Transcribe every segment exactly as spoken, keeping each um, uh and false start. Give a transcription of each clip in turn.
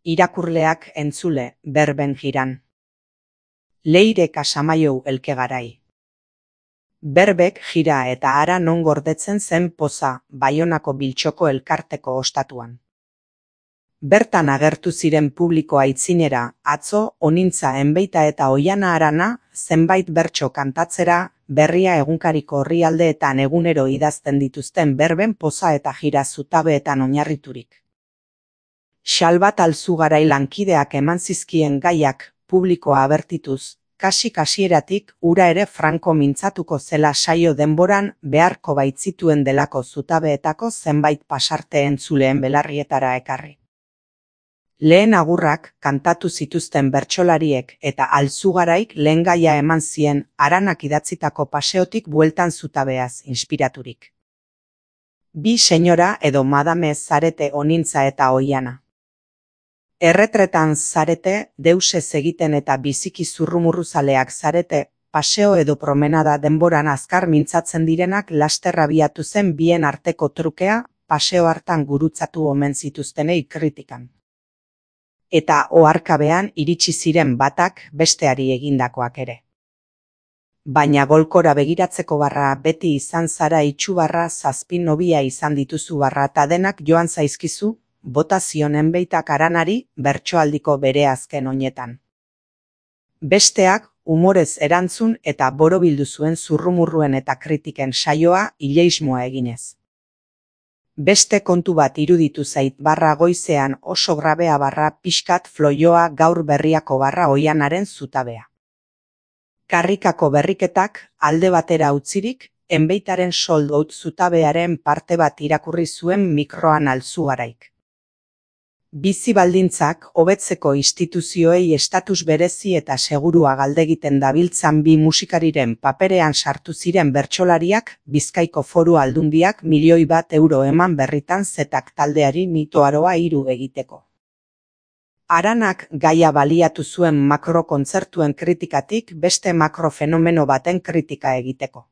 Irakurleak entzule, berben jiran. Leire Casamaiou elkegarai. Berbek jira eta hara non gordetzen zen poza, Baionako Biltxoko elkarteko ostatuan. Bertan agertu ziren publiko aitzinera, atzo, onintza enbeita eta oiana arana, zenbait bertso kantatzera, berria egunkariko orrialdeetan egunero idazten dituzten berben poza eta jira zutabeetan oinarriturik. Xalbat Alzugarai lankideak eman zizkien gaiak publikoa abertituz, kasi-kasieratik ura ere franko mintzatuko zela saio denboran beharko baitzituen delako zutabeetako zenbait pasarte entzuleen belarrietara ekarri. Lehen agurrak kantatu zituzten bertsolariek eta Alzugaraik lehen gaia eman zien Aranak idatzitako paseotik bueltan zutabeaz inspiraturik. Bi senyora edo madame zarete onintza eta oiana. Erretretan zarete, deusez egiten eta biziki zurrumurruzaleak zarete, paseo edo promenada denboran azkar mintzatzen direnak laster abiatu zen bien arteko trukea, paseo hartan gurutzatu omen zituztenei kritikan. Eta oharkabean iritsi ziren batak besteari egindakoak ere. Baina golkora begiratzeko barra beti izan zara itxubarra zazpi nobia izan dituzu barra eta denak joan zaizkizu, bota zion enbeitak Aranari bertsoaldiko bere azken oinetan. Besteak, umorez erantzun eta borobildu zuen zurrumurruen eta kritiken saioa ileismoa eginez. Beste kontu bat iruditu zait barra goizean oso grabea barra pixkat floioa gaur berriako barra oianaren zutabea. Karrikako berriketak alde batera utzirik, enbeitaren soldout zutabearen parte bat irakurri zuen mikroan Alzugaraik. Bizi baldintzak hobetzeko instituzioei estatus berezi eta segurua galdegiten dabiltzan bi musikariren paperean sartu ziren bertsolariak Bizkaiko Foru Aldundiak milioi bat euro eman berritan zetak taldeari mitoaroa hiru egiteko. Aranak gaia baliatu zuen makrokontzertuen kritikatik beste makrofenomeno baten kritika egiteko.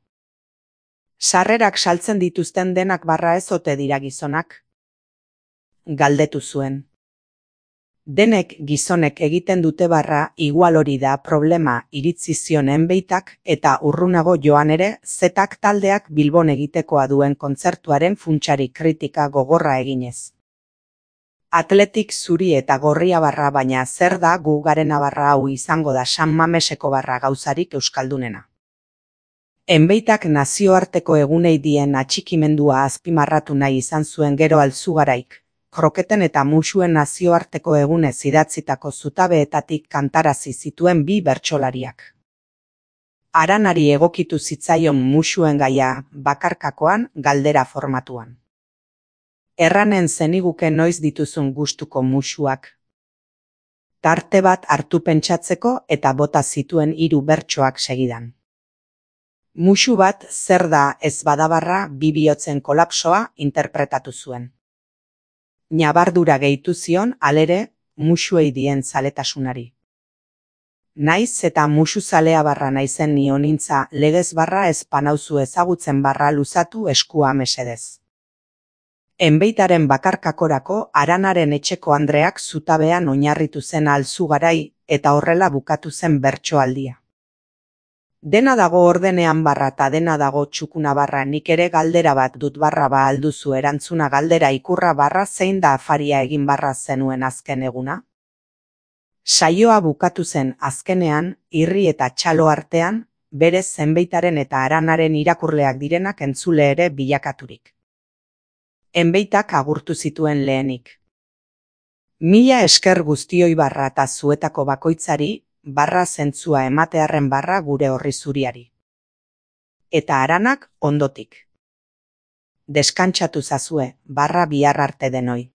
Sarrerak saltzen dituzten denak barra ez ote dira gizonak? Galdetu zuen. Denek gizonek egiten dute barra igual hori da problema iritzi zion enbeitak eta urrunago joan ere zetak taldeak Bilbon egitekoa duen kontzertuaren funtsari kritika gogorra eginez. Atletik zuri eta gorria barra baina zer da gu garena barra hau izango da San Mameseko barra gauzarik euskaldunena. Enbeitak nazioarteko egunei dien atxikimendua azpimarratu nahi izan zuen gero Alzugaraik. Kroketen eta musuen nazioarteko egunez idatzitako zutabeetatik kantarazi zituen bi bertsolariak. Aranari egokitu zitzaion musuen gaia bakarkakoan galdera formatuan. Erranen zeniguke noiz dituzun gustuko musuak. Tarte bat hartu pentsatzeko eta bota zituen hiru bertsoak segidan. Musu bat zer da ez badabarra bi bihotzen kolapsoa interpretatu zuen. Nabardura gehitu zion alere musuei dien zaletasunari. Naiz eta musu zalea barra naizen ni onintza legez barra ez panauzu ezagutzen barra luzatu eskua mesedez. Enbeitaren bakarkakorako Aranaren etxeko andreak zutabean oinarritu zen Alzugarai eta horrela bukatu zen bertsoaldia. Dena dago ordenean barra eta dena dago txukuna barra nik ere galdera bat dut barra ba alduzu erantzuna galdera ikurra barra zein da afaria egin barra zenuen azken eguna? Saioa bukatu zen azkenean, irri eta txalo artean, berez enbeitaren eta Aranaren irakurleak direnak entzule ere bilakaturik. Enbeitak agurtu zituen lehenik. Mila esker guztioi barra eta zuetako bakoitzari, barra zentzua ematearren barra gure horri zuriari. Eta Aranak ondotik. Deskantsatu zazue, barra bihar arte denoi.